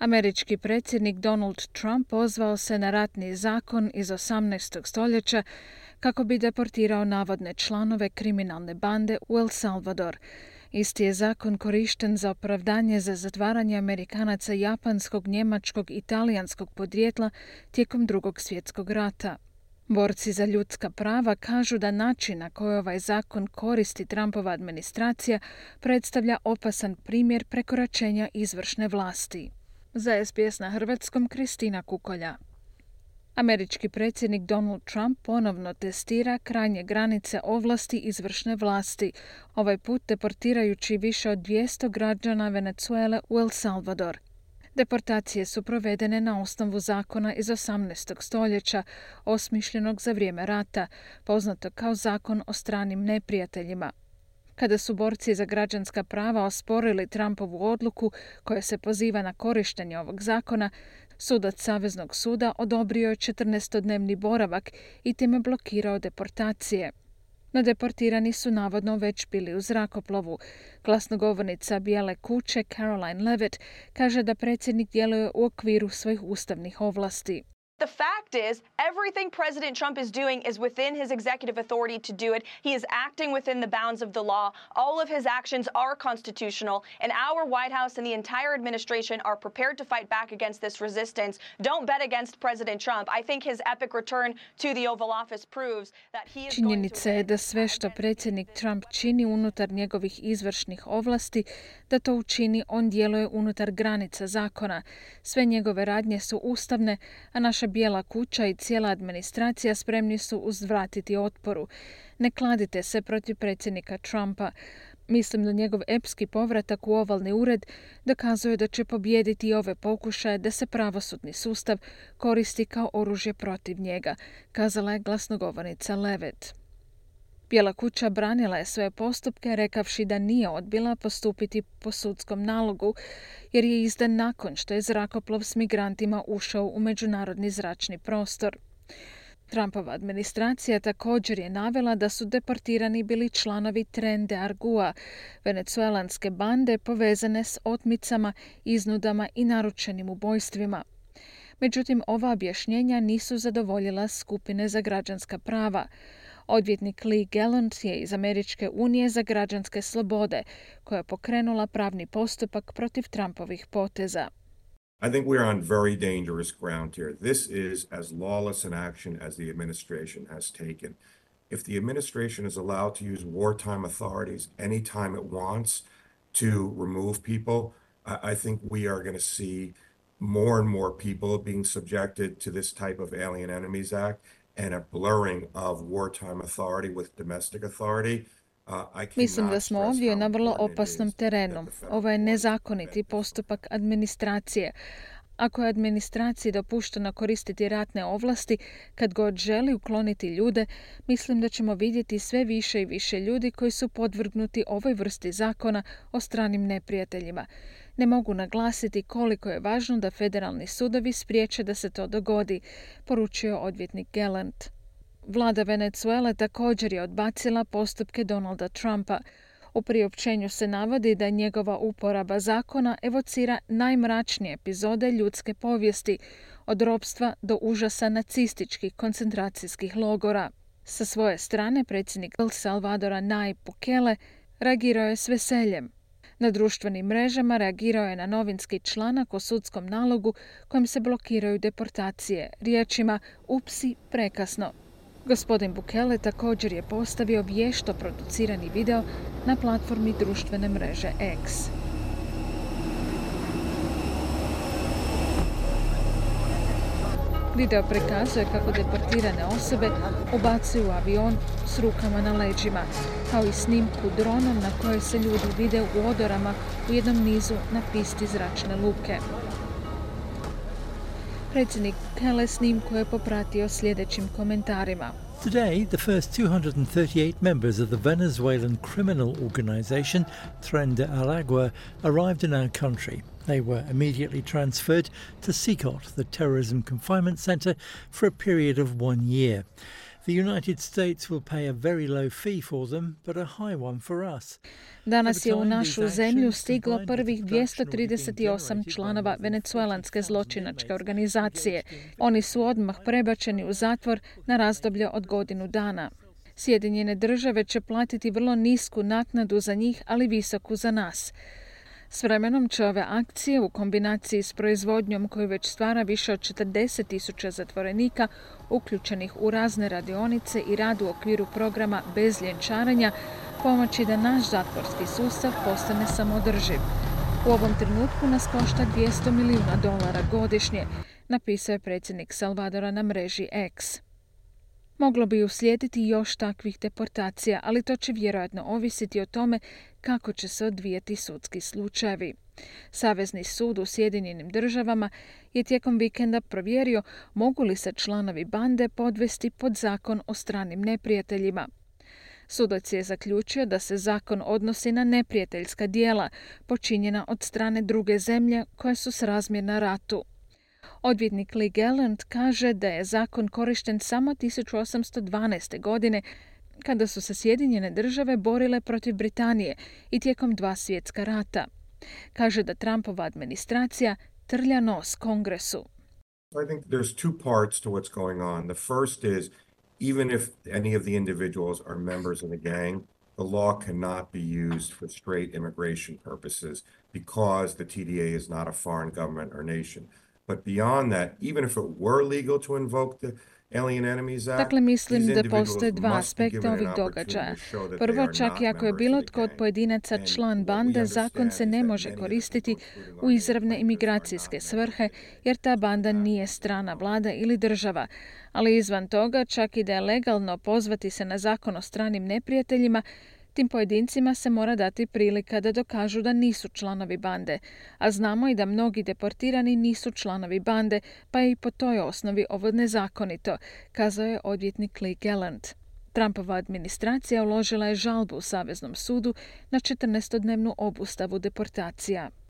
Američki predsjednik Donald Trump pozvao se na ratni zakon iz 18. stoljeća kako bi deportirao navodne članove kriminalne bande u El Salvador. Isti je zakon korišten za opravdanje za zatvaranje Amerikanaca japanskog, njemačkog i talijanskog podrijetla tijekom Drugog svjetskog rata. Borci za ljudska prava kažu da način na koji ovaj zakon koristi Trumpova administracija predstavlja opasan primjer prekoračenja izvršne vlasti. Za SBS na hrvatskom Kristina Kukolja. Američki predsjednik Donald Trump ponovno testira krajnje granice ovlasti izvršne vlasti, ovaj put deportirajući više od 200 građana Venezuele u El Salvador. Deportacije su provedene na osnovu zakona iz 18. stoljeća, osmišljenog za vrijeme rata, poznato kao zakon o stranim neprijateljima. Kada su borci za građanska prava osporili Trumpovu odluku koja se poziva na korištenje ovog zakona, sudac Saveznog suda odobrio je 14-dnevni boravak i time blokirao deportacije. No deportirani su navodno već bili u zrakoplovu. Glasnogovornica Bijele kuće Caroline Levitt kaže da predsjednik djeluje u okviru svojih ustavnih ovlasti. The fact is, everything President Trump is doing is within his executive authority to do it. He is acting within the bounds of the law. All of his actions are constitutional, and our White House and the entire administration are prepared to fight back against this resistance. Don't bet against President Trump. I think his epic return to the Oval Office proves that he is Činjenica je da sve što predsjednik Trump čini unutar njegovih izvršnih ovlasti, da to učini on djeluje unutar granica zakona. Sve njegove radnje su ustavne, a naša Bijela kuća i cijela administracija spremni su uzvratiti otporu. Ne kladite se protiv predsjednika Trumpa. Mislim da njegov epski povratak u ovalni ured dokazuje da će pobijediti i ove pokušaje da se pravosudni sustav koristi kao oružje protiv njega, kazala je glasnogovornica Levitt. Bijela kuća branila je svoje postupke rekavši da nije odbila postupiti po sudskom nalogu jer je izdan nakon što je zrakoplov s migrantima ušao u međunarodni zračni prostor. Trumpova administracija također je navela da su deportirani bili članovi Tren de Argua, venecuelanske bande povezane s otmicama, iznudama i naručenim ubojstvima. Međutim, ova objašnjenja nisu zadovoljila skupine za građanska prava. Odvjetnik Lee Gallant je iz Američke unije za građanske slobode, koja je pokrenula pravni postupak protiv Trumpovih poteza. I think we are on very dangerous ground here. This is as lawless an action as the administration has taken. If the administration is allowed to use wartime authorities anytime it wants to remove people, I think we are going to see more and more people being subjected to this type of Alien Enemies Act and a blurring of wartime authority with domestic authority. Mislim da smo ovdje na vrlo opasnom terenu. Ovo je nezakoniti postupak administracije. Ako je administraciji dopušteno koristiti ratne ovlasti kad god želi ukloniti ljude, mislim da ćemo vidjeti sve više i više ljudi koji su podvrgnuti ovoj vrsti zakona o stranim neprijateljima. Ne mogu naglasiti koliko je važno da federalni sudovi spriječe da se to dogodi, poručio odvjetnik Gallant. Vlada Venezuele također je odbacila postupke Donalda Trumpa. U priopćenju se navodi da njegova uporaba zakona evocira najmračnije epizode ljudske povijesti, od ropstva do užasa nacističkih koncentracijskih logora. Sa svoje strane, predsjednik El Salvadora Nayib Bukele reagirao je s veseljem. Na društvenim mrežama reagirao je na novinski članak o sudskom nalogu kojim se blokiraju deportacije, riječima "upsi, prekasno". Gospodin Bukele također je postavio vješto producirani video na platformi društvene mreže X. Video prikazuje kako deportirane osobe ubacuju u avion s rukama na leđima, kao i snimku dronom na kojoj se ljudi vide u odorama u jednom nizu na pisti zračne luke. Predsjednik Bukele snimku je popratio sljedećim komentarima. Today, the first 238 members of the Venezuelan criminal organization Tren de Aragua arrived in our country. They were immediately transferred to CICOT, the terrorism confinement center, for a period of 1 year. The United States will pay a very low fee for them, but a high one for us. Danas je u našu zemlju stiglo prvih 238 članova venecuelanske zločinačke organizacije. Oni su odmah prebačeni u zatvor na razdoblje od godinu dana. Sjedinjene države će platiti vrlo nisku naknadu za njih, ali visoku za nas. S vremenom će ove akcije u kombinaciji s proizvodnjom koju već stvara više od 40.000 zatvorenika uključenih u razne radionice i rad u okviru programa bez ljenčarenja pomoći da naš zatvorski sustav postane samoodrživ. U ovom trenutku nas košta $200 milijuna godišnje, napisao je predsjednik Salvadora na mreži X. Moglo bi uslijediti još takvih deportacija, ali to će vjerojatno ovisiti o tome kako će se odvijati sudski slučajevi. Savezni sud u Sjedinjenim državama je tijekom vikenda provjerio mogu li se članovi bande podvesti pod zakon o stranim neprijateljima. Sudac je zaključio da se zakon odnosi na neprijateljska djela počinjena od strane druge zemlje koje su srazmjerna ratu. Odvjetnik Lee Gallant kaže da je zakon korišten samo 1812. godine kada su se Sjedinjene države borile protiv Britanije i tijekom 2 svjetska rata. Kaže da Trumpova administracija trlja nos Kongresu. I think there's two parts to what's going on. The first is, even if any of the individuals are members of the gang, the law cannot be used for straight immigration purposes because the TDA is not a foreign government or nation. But beyond that, even if it were legal to invoke the Alien Enemies Act, Dakle, mislim da postoje dva aspekta ovih događaja. Prvo, čak i ako je bilo tko od pojedinaca član bande, zakon se ne može koristiti u izravne imigracijske svrhe, jer ta banda nije strana vlada ili država. Ali izvan toga, čak i da je legalno pozvati se na zakon o stranim neprijateljima, tim pojedincima se mora dati prilika da dokažu da nisu članovi bande, a znamo i da mnogi deportirani nisu članovi bande, pa je i po toj osnovi ovo nezakonito, kazao je odvjetnik Lee Gallant. Trumpova administracija uložila je žalbu u Saveznom sudu na 14-dnevnu obustavu deportacija.